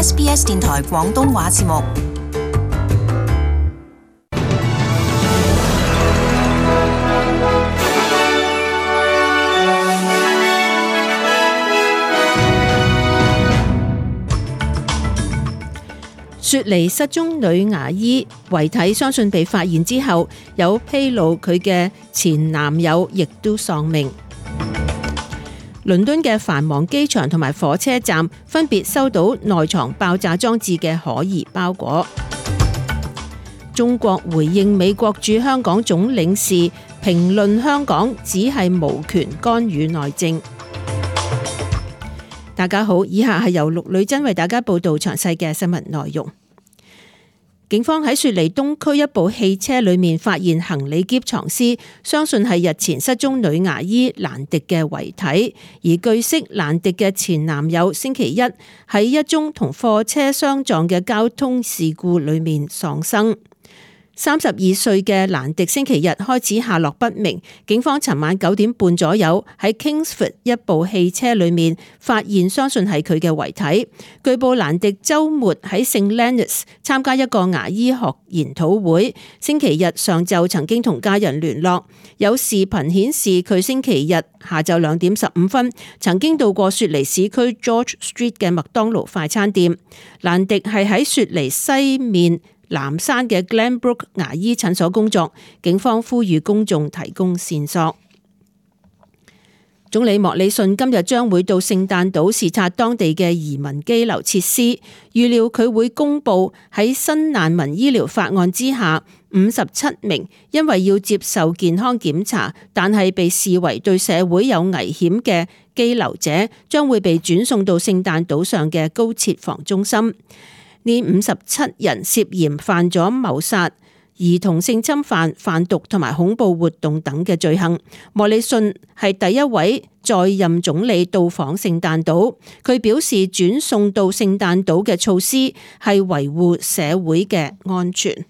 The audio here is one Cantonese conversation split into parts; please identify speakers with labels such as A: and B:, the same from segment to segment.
A: SBS 電台廣東話節目。
B: 雪梨失蹤女牙醫遺體相信被發現之後，有披露佢嘅前男友亦都喪命。倫敦嘅繁忙機場同埋火車站分別收到內藏爆炸裝置嘅可疑包裹。中國回應美國駐香港總領事評論香港只係無權干預內政。大家好，以下係由陸女珍為大家報道詳細嘅新聞內容。警方喺雪梨東區一部汽車裏面發現行李篋藏屍，相信係日前失蹤女牙醫蘭迪嘅遺體。而據悉，蘭迪嘅前男友星期一喺一宗同貨車相撞嘅交通事故裏面喪生。32歲嘅蘭迪星期日開始下落不明，警方尋晚9點半左右喺 Kingsford 一部汽車裏面發現相信係佢嘅遺體。據報蘭迪週末喺聖 Leonards 參加一個牙醫學研討會，星期日上晝曾經同家人聯絡。有視頻顯示佢星期日下晝2點15分曾經到過雪梨市區 George Street 嘅麥當勞快餐店。蘭迪係喺雪梨西面南山嘅 Glenbrook 牙醫診所工作，警方呼籲公眾提供線索。總理莫里遜今日將會到聖誕島視察當地嘅移民羈留設施，預料佢會公布喺新難民醫療法案之下57名因為要接受健康檢查，但係被視為對社會有危險嘅羈留者，將會被轉送到聖誕島上嘅高設防中心。呢57人涉嫌犯咗謀殺、兒童性侵犯、販毒同埋恐怖活動等嘅罪行。莫里遜係第一位在任總理到訪聖誕島，佢表示轉送到聖誕島嘅措施係維護社會嘅安全。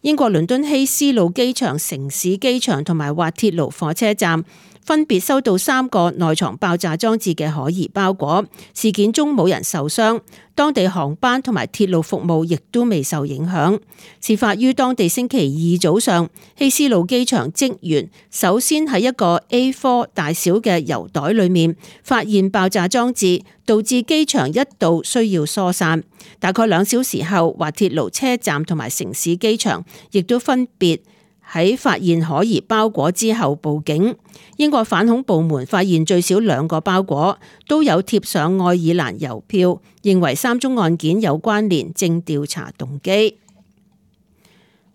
B: 英國倫敦希斯路機場、城市機場同埋滑鐵盧火車站分別收到3個內藏爆炸裝置嘅可疑包裹，事件中冇人受傷，當地航班同埋鐵路服務亦都未受影響。事發於當地星期二早上，希斯路機場職員首先喺一個 A4 大小嘅郵袋裏面發現爆炸裝置，導致機場一度需要疏散。大概2小時後，滑鐵盧車站同埋城市機場亦都分別喺發現可疑包裹之後報警。英國反恐部門發現最少2個包裹，都有貼上愛爾蘭郵票，認為3宗案件有關聯，正調查動機。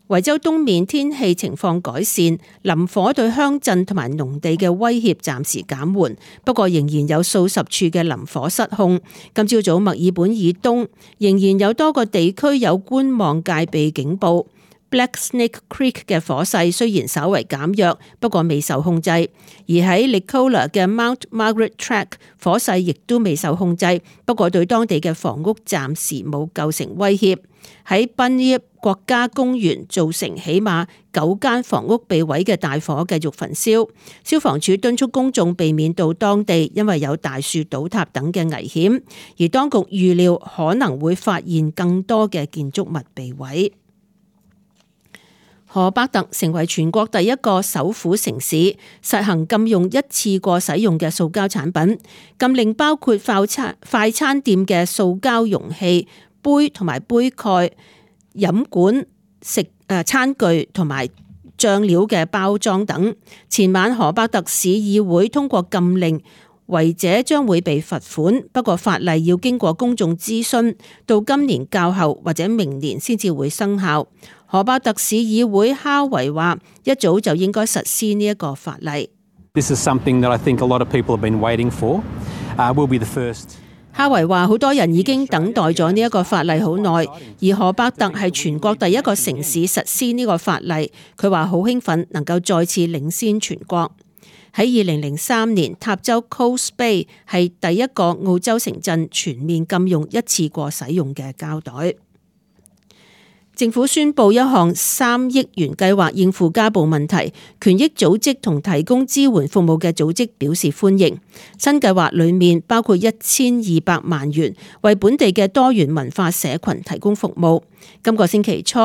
B: 維州東面天氣情況改善，林火對鄉鎮同埋農地嘅威脅暫時減緩，不過仍然有數十處嘅林火失控。今朝早墨爾本以東仍然有多個地區有觀望戒備警報。Black Snake Creek 嘅火勢雖然稍為減弱，不過未受控制；而喺 Nicola 嘅 Mount Margaret Track 火勢亦都未受控制，不過對當地嘅房屋暫時冇構成威脅。喺 Bunyip 國家公園造成起碼9間房屋被毀嘅大火繼續焚燒，消防處敦促公眾避免到當地，因為有大樹倒塌等嘅危險，而當局預料可能會發現更多嘅建築物被毀。荷伯特成為全國第一個首府城市實行禁用一次過使用嘅塑膠產品，禁令包括快餐店嘅塑膠容器、杯同埋杯蓋、飲管、餐具同埋醬料嘅包裝等。前晚荷伯特市議會通過禁令，違者將會被罰款，不過法例要經過公眾諮詢，到今年較後或者明年先至會生效。荷伯特市議會哈維話，一早就應該實施呢一個法例。
C: This is something that I think a lot of people have been waiting for. We'll be the first.
B: 哈維話，好多人已經等待咗呢一個法例好耐，而荷伯特係全國第一個城市實施呢個法例。佢話好興奮能夠再次領先全國。喺2003年，塔州 Coast Bay 係第一個澳洲城鎮全面禁用一次過使用嘅膠袋。政府宣布一項3億元計劃應付家暴問題，權益組織同提供支援服務嘅組織表示歡迎。新計劃裡面包括1200萬元為本地嘅多元文化社群提供服務。今個星期初，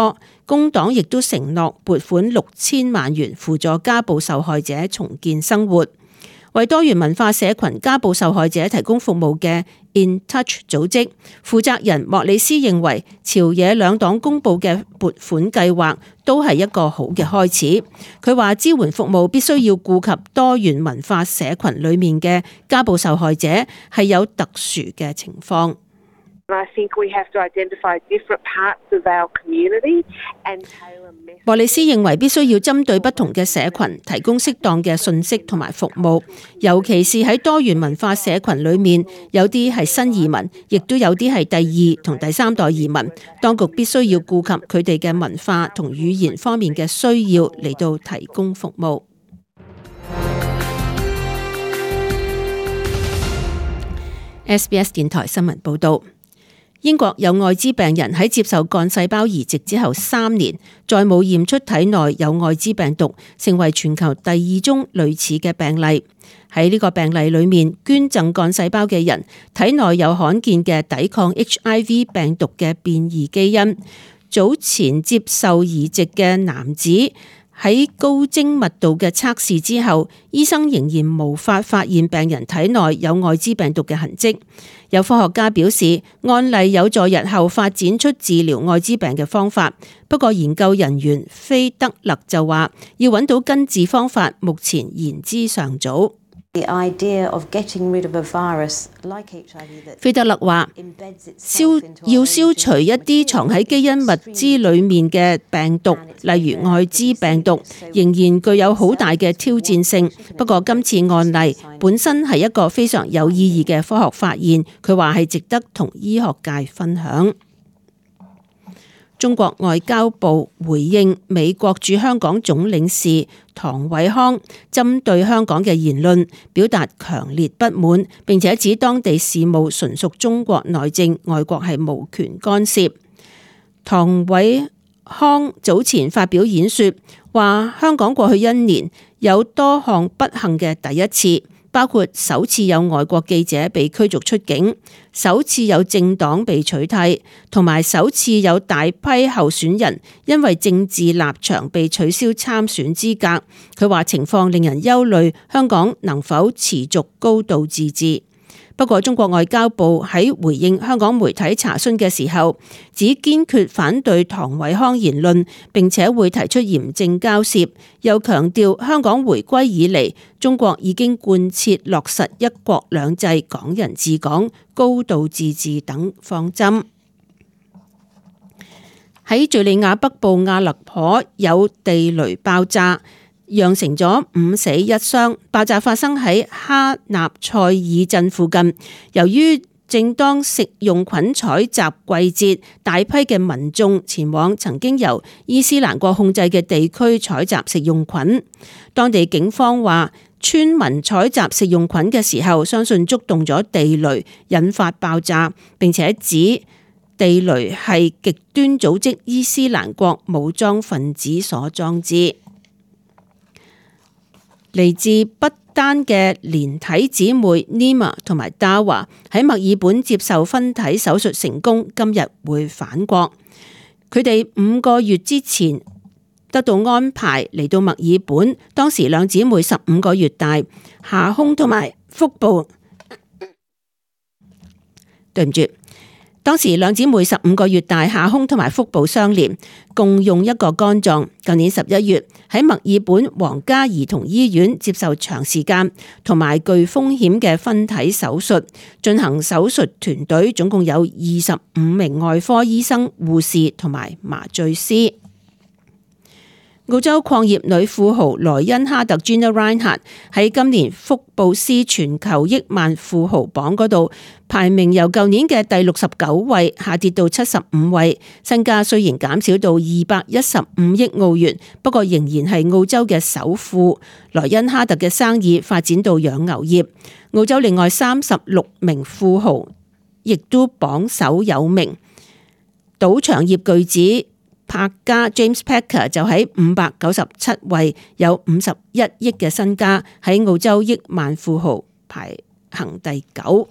B: 工黨亦都承諾撥款6000萬元輔助家暴受害者重建生活。為多元文化社群家暴受害者提供服務嘅 In Touch 組織負責人莫里斯認為，朝野兩黨公布嘅撥款計劃都係一個好嘅開始。佢話支援服務必須要顧及多元文化社群裡面嘅家暴受害者係有特殊嘅情況。莫里斯認為必須要針對不同嘅社群提供適當嘅信息同埋服務，尤其是喺多元文化社群裡面，有啲係新移民，亦都有啲係第2同第3代移民。當局必須要顧及佢哋嘅文化同語言方面嘅需要嚟到提供服務。SBS 電台新聞報導。英國有愛滋病人喺接受幹細胞移植之後3年，再冇驗出體內有愛滋病毒，成為全球第2宗類似嘅病例。喺呢個病例裏面，捐贈幹細胞嘅人體內有罕見嘅抵抗 HIV 病毒嘅變異基因。早前接受移植嘅男子喺高精密度嘅測試之後，醫生仍然無法發現病人體內有愛滋病毒嘅痕跡。有科學家表示，案例有助日後發展出治療愛滋病嘅方法。不過研究人員菲德勒就話，要揾到根治方法，目前言之尚早。菲德勒話，要消除一啲藏喺基因物資裡面嘅病毒，例如愛滋病毒，仍然具有好大嘅挑戰性。不過今次案例本身係一個非常有意義嘅科學發現，佢話係值得同醫學界分享。中國外交部回應美國駐香港總領事唐偉康針對香港嘅言論表達強烈不滿，並且指當地事務純屬中國內政，外國係無權干涉。唐偉康早前發表演說，話香港過去1年有多項不幸嘅第一次，包括首次有外國記者被驅逐出境，首次有政黨被取締，同埋首次有大批候選人因為政治立場被取消參選資格。佢話情況令人憂慮，香港能否持續高度自治？不過中國外交部喺回應香港媒體查詢嘅時候，只堅決反對唐偉康言論，並且會提出嚴正交涉，又強調香港回歸以嚟，中國已經貫徹落實一國兩制、港人治港、高度自治等方針。喺敘利亞北部阿勒頗有地雷爆炸，釀成咗5死1傷，爆炸發生喺哈納賽爾鎮附近。由於正當食用菌採集季節，大批嘅民眾前往曾經由伊斯蘭國控制嘅地區採集食用菌。當地警方話，村民採集食用菌嘅時候，相信觸動咗地雷，引發爆炸，並且指地雷係極端組織伊斯蘭國武裝分子所裝置。嚟自不丹嘅連體姊妹 Nima 同埋 Dawa 喺墨爾本接受分體手術成功，今日會返國。佢哋5個月之前得到安排嚟到墨爾本，當時兩姊妹15個月大，下胸同埋腹部，對唔住。當時兩姊妹15個月大，下胸同埋腹部相連，共用一個肝臟。舊年11月喺墨爾本皇家兒童醫院接受長時間同埋具風險嘅分體手術。進行手術團隊總共有25名外科醫生、護士同埋麻醉師。澳洲礦業女富豪萊恩哈特 Gina Rinehart 喺今年福布斯全球億萬富豪榜嗰度排名由舊年嘅第69位下跌到75位，身家雖然減少到215億澳元，不過仍然係澳洲嘅首富。萊恩哈特嘅生意發展到養牛業，澳洲另外36名富豪亦都榜首有名。賭場業巨子柏家 James Packer 就喺597位，有51億嘅身家，喺澳洲億萬富豪排行第9。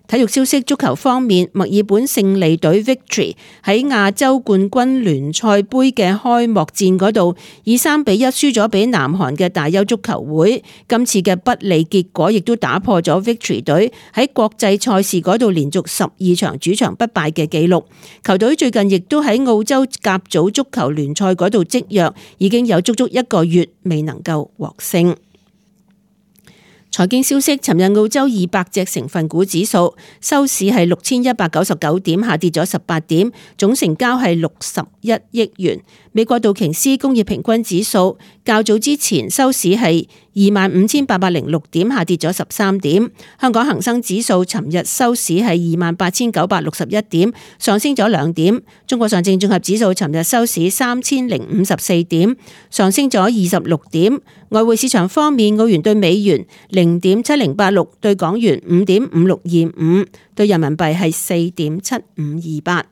B: 體育消息，足球方面，墨爾本勝利隊 Victory 喺亞洲冠軍聯賽杯嘅開幕戰嗰度，以3-1輸咗俾南韓嘅大邱足球會。今次嘅不利結果亦都打破咗 Victory 隊喺國際賽事嗰度連續12場主場不敗嘅紀錄。球隊最近亦都喺澳洲甲組足球聯賽嗰度積弱，已經有足足1個月未能夠獲勝。財經消息，尋日澳洲200隻成分股指數收市係6199點，下跌咗18點，總成交係61億元。美國道瓊斯工業平均指數較早之前收市係25,806點，下跌咗13點。香港恒生指數尋日收市係28,961點，上升咗2點。中國上證綜合指數尋日收市3,054點，上升咗26點。外匯市場方面，澳元對美元0.7086，對港元5.5625，對人民幣係4.7528。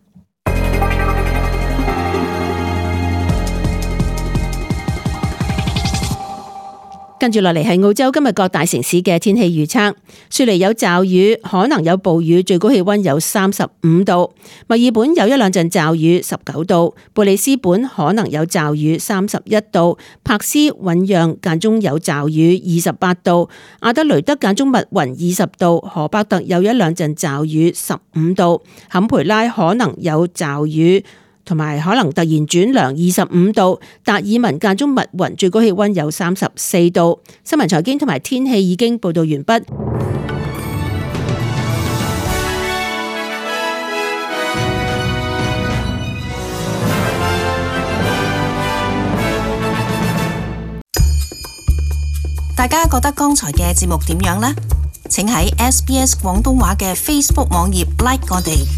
B: 跟住落嚟係澳洲今日各大城市嘅天氣預測。雪梨有驟雨，可能有暴雨，最高氣溫有35度。墨爾本有一兩陣驟雨，19度。布里斯本可能有驟雨，31度。柏斯醞釀間中有驟雨，28度。阿德雷德間中密雲，20度。荷伯特有一兩陣驟雨，15度。坎培拉可能有驟雨，同埋可能突然轉涼，25度。達爾文間中密雲，最高氣溫有34度。新聞財經同埋天氣已經報道完畢。
A: 大家覺得剛才嘅節目點樣呢？請喺SBS 廣東話嘅 Facebook 網頁 like 我哋。